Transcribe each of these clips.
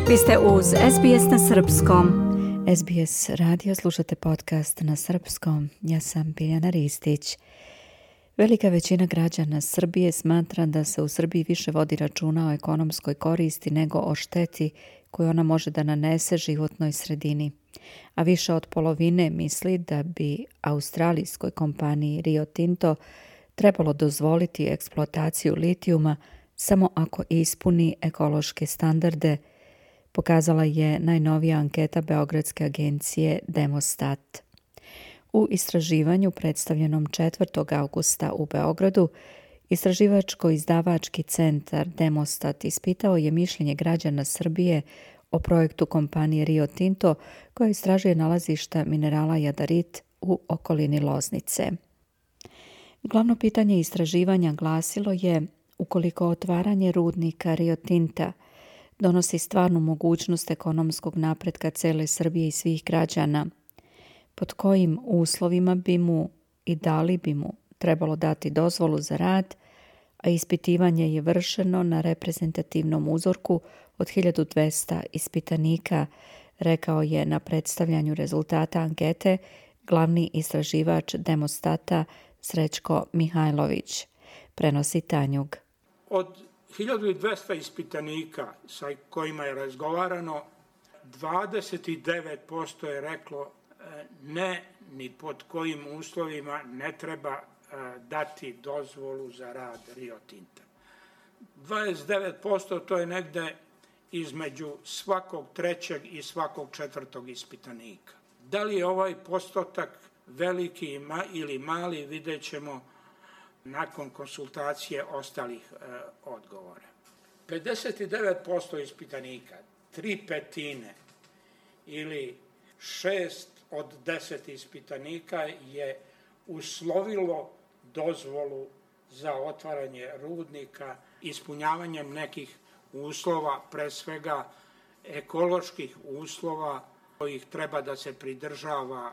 Vi ste uz SBS na srpskom. SBS radio, slušate podcast na srpskom. Ja sam Biljana Ristić. Velika većina građana Srbije smatra da se u Srbiji više vodi računa o ekonomskoj koristi nego o šteti koju ona može da nanese životnoj sredini. A više od polovine misli da bi australijskoj kompaniji Rio Tinto trebalo dozvoliti eksploataciju litijuma samo ako ispuni ekološke standarde, pokazala je najnovija anketa beogradske agencije Demostat. U istraživanju predstavljenom 4. augusta u Beogradu, istraživačko-izdavački centar Demostat ispitao je mišljenje građana Srbije o projektu kompanije Rio Tinto koja istražuje nalazišta minerala jadarit u okolini Loznice. Glavno pitanje istraživanja glasilo je: ukoliko otvaranje rudnika Rio Tinta donosi stvarnu mogućnost ekonomskog napretka cele Srbije i svih građana, pod kojim uslovima bi mu i da li bi mu trebalo dati dozvolu za rad, a ispitivanje je vršeno na reprezentativnom uzorku od 1200 ispitanika, rekao je na predstavljanju rezultata ankete glavni istraživač Demostata Srećko Mihajlović, prenosi Tanjug. Od 1200 ispitanika sa kojima je razgovarano, 29% je reklo ne, ni pod kojim uslovima ne treba dati dozvolu za rad Rio Tinta. 29% to je negde između svakog trećeg i svakog četvrtog ispitanika. Da li je ovaj postotak veliki ili mali, vidjet ćemo nakon konsultacije ostalih odgovora. 59% ispitanika, 3/5 ili 6 od 10 ispitanika je uslovilo dozvolu za otvaranje rudnika ispunjavanjem nekih uslova, pre svega ekoloških uslova kojih treba da se pridržava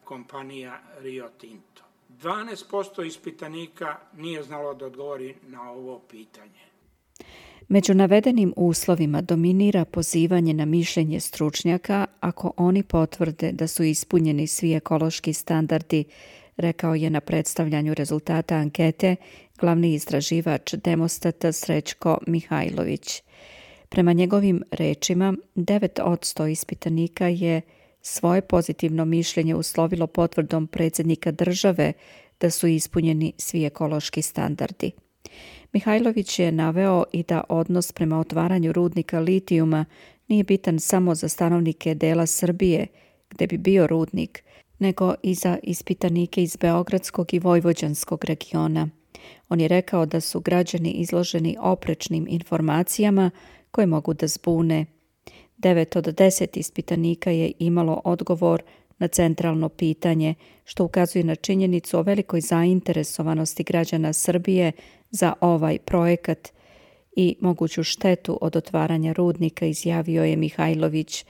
kompanija Rio Tinto. 12% ispitanika nije znalo da odgovori na ovo pitanje. Među navedenim uslovima dominira pozivanje na mišljenje stručnjaka ako oni potvrde da su ispunjeni svi ekološki standardi, rekao je na predstavljanju rezultata ankete glavni istraživač Demostata Srećko Mihajlović. Prema njegovim rečima, 9% ispitanika je svoje pozitivno mišljenje uslovilo potvrdom predsjednika države da su ispunjeni svi ekološki standardi. Mihajlović je naveo i da odnos prema otvaranju rudnika litijuma nije bitan samo za stanovnike dela Srbije, gde bi bio rudnik, nego i za ispitanike iz beogradskog i vojvođanskog regiona. On je rekao da su građani izloženi oprečnim informacijama koje mogu da zbune. 9 od 10 ispitanika je imalo odgovor na centralno pitanje, što ukazuje na činjenicu o velikoj zainteresovanosti građana Srbije za ovaj projekat i moguću štetu od otvaranja rudnika, izjavio je Mihajlović.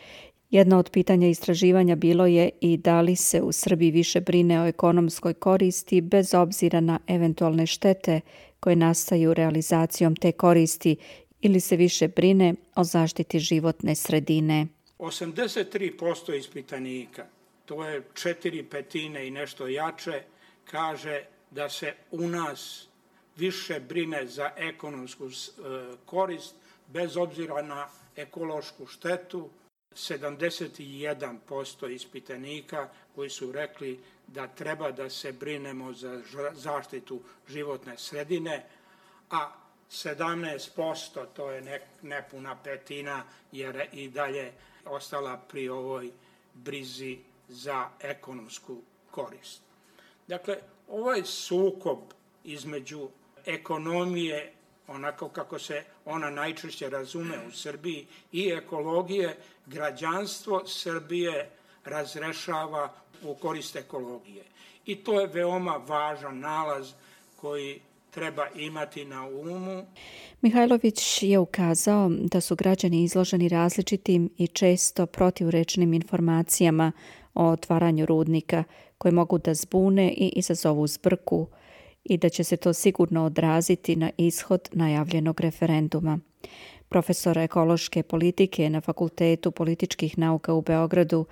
Jedno od pitanja istraživanja bilo je i da li se u Srbiji više brine o ekonomskoj koristi bez obzira na eventualne štete koje nastaju realizacijom te koristi ili se više brine o zaštiti životne sredine. 83% ispitanika, to je 4/5 i nešto jače, kaže da se u nas više brine za ekonomsku korist bez obzira na ekološku štetu. 71% ispitanika koji su rekli da treba da se brinemo za zaštitu životne sredine, a 17%, to je nepuna petina, jer i dalje ostala pri ovoj brizi za ekonomsku korist. Dakle, ovaj sukob između ekonomije, onako kako se ona najčešće razume u Srbiji, i ekologije, građanstvo Srbije razrešava u korist ekologije. I to je veoma važan nalaz koji treba imati na umu. Mihajlović je ukazao da su građani izloženi različitim i često protivrečnim informacijama o otvaranju rudnika koje mogu da zbune i izazovu zbrku i da će se to sigurno odraziti na ishod najavljenog referenduma. Profesor ekološke politike na Fakultetu političkih nauka u Beogradu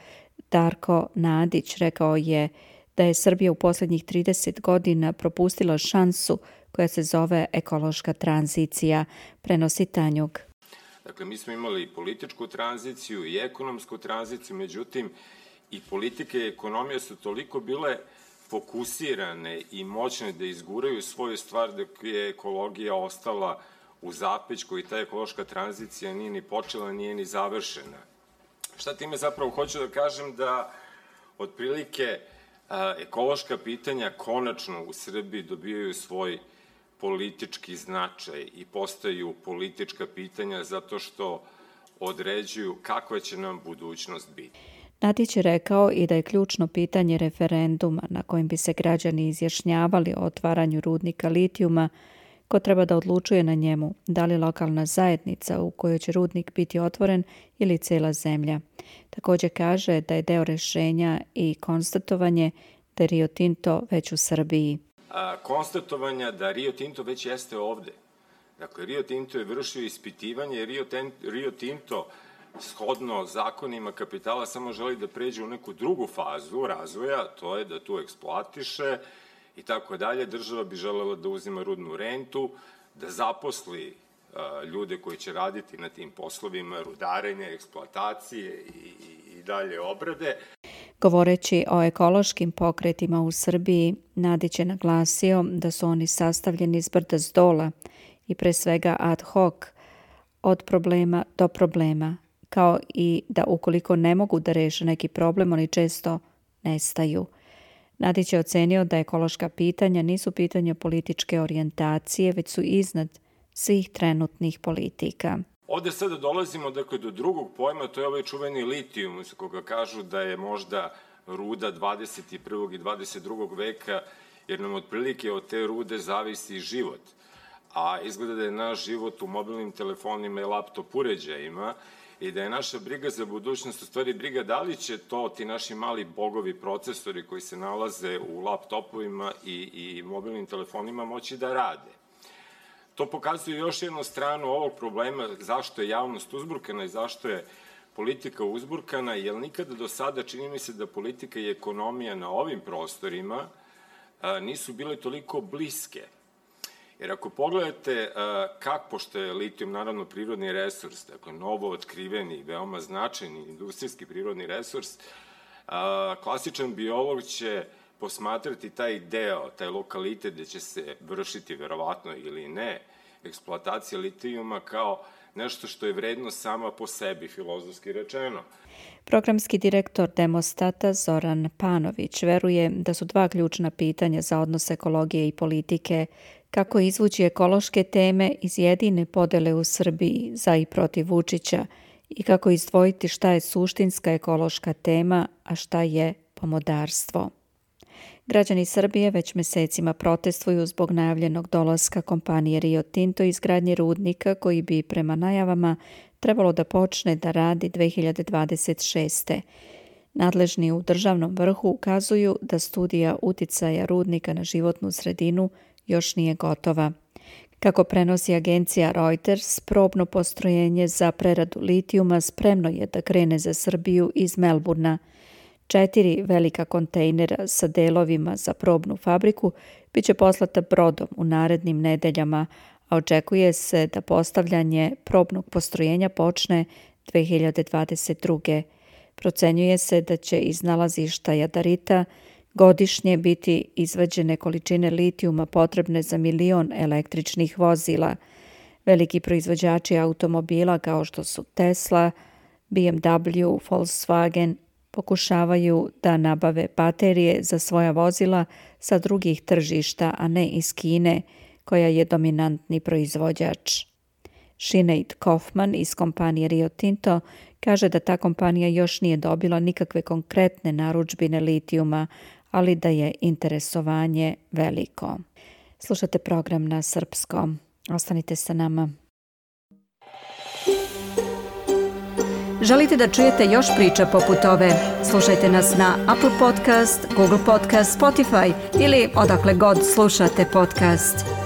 Darko Nadić rekao je da je Srbija u posljednjih 30 godina propustila šansu koja se zove ekološka tranzicija, prenosi Tanjug. Dakle, mi smo imali i političku tranziciju i ekonomsku tranziciju, međutim, i politika i ekonomija su toliko bile fokusirane i moćne da izguraju svoju stvar dok je ekologija ostala u zapećku i ta ekološka tranzicija nije ni počela, nije ni završena. Šta time zapravo hoću da kažem? Da otprilike ekološka pitanja konačno u Srbiji dobijaju svoj politički značaj i postaju politička pitanja zato što određuju kakva će nam budućnost biti. Nadić je rekao i da je ključno pitanje referenduma na kojem bi se građani izjašnjavali o otvaranju rudnika litijuma, ko treba da odlučuje na njemu, da li lokalna zajednica u kojoj će rudnik biti otvoren ili cela zemlja. Također kaže da je deo rešenja i konstatovanje da je Rio Tinto već u Srbiji. Konstatovanja da Rio Tinto već jeste ovde. Dakle, Rio Tinto je vršio ispitivanje, Rio Tinto shodno zakonima kapitala samo želi da pređe u neku drugu fazu razvoja, to je da tu eksploatiše i tako dalje. Država bi želela da uzima rudnu rentu, da zaposli ljude koji će raditi na tim poslovima rudarenja, eksploatacije i dalje obrade. Govoreći o ekološkim pokretima u Srbiji, Nadić je naglasio da su oni sastavljeni s brda s dola i pre svega ad hoc, od problema do problema, kao i da ukoliko ne mogu da reše neki problem, oni često nestaju. Nadić je ocenio da ekološka pitanja nisu pitanja političke orijentacije, već su iznad svih trenutnih politika. Ovde sada dolazimo do drugog pojma, to je ovaj čuveni litijum, koga kažu da je možda ruda 21. i 22. veka, jer nam otprilike od te rude zavisi život. A izgleda da je naš život u mobilnim telefonima i laptop uređajima i da je naša briga za budućnost u stvari briga da li će to ti naši mali bogovi procesori koji se nalaze u laptopovima i mobilnim telefonima moći da rade. To pokazuje još jednu stranu ovog problema zašto je javnost uzburkana i zašto je politika uzburkana, jer nikada do sada čini mi se da politika i ekonomija na ovim prostorima nisu bile toliko bliske. Jer ako pogledate pošto je litijum naravno prirodni resurs, dakle novo otkriveni, veoma značajni industrijski prirodni resurs, klasičan biolog će posmatrati taj deo, taj lokalitet gde će se vršiti verovatno ili ne eksploatacija litijuma kao nešto što je vredno sama po sebi, filozofski rečeno. Programski direktor Demostata Zoran Panović veruje da su dva ključna pitanja za odnos ekologije i politike: kako izvući ekološke teme iz jedine podele u Srbiji za i protiv Vučića i kako izdvojiti šta je suštinska ekološka tema, a šta je pomodarstvo. Građani Srbije već mesecima protestuju zbog najavljenog dolaska kompanije Rio Tinto i izgradnje rudnika koji bi prema najavama trebalo da počne da radi 2026. Nadležni u državnom vrhu ukazuju da studija uticaja rudnika na životnu sredinu još nije gotova. Kako prenosi agencija Reuters, probno postrojenje za preradu litijuma spremno je da krene za Srbiju iz Melburna. 4 velika kontejnera sa delovima za probnu fabriku biće poslata brodom u narednim nedeljama, a očekuje se da postavljanje probnog postrojenja počne 2022. Procenjuje se da će iz nalazišta jadarita godišnje biti izvađene količine litijuma potrebne za 1 milion električnih vozila. Veliki proizvođači automobila kao što su Tesla, BMW, Volkswagen pokušavaju da nabave baterije za svoja vozila sa drugih tržišta, a ne iz Kine, koja je dominantni proizvođač. Sinead Kaufman iz kompanije Rio Tinto kaže da ta kompanija još nije dobila nikakve konkretne narudžbine litijuma, ali da je interesovanje veliko. Slušate program na srpskom. Ostanite sa nama. Želite da čujete još priča poput ove? Slušajte nas na Apple Podcast, Google Podcast, Spotify ili odakle god slušate podcast.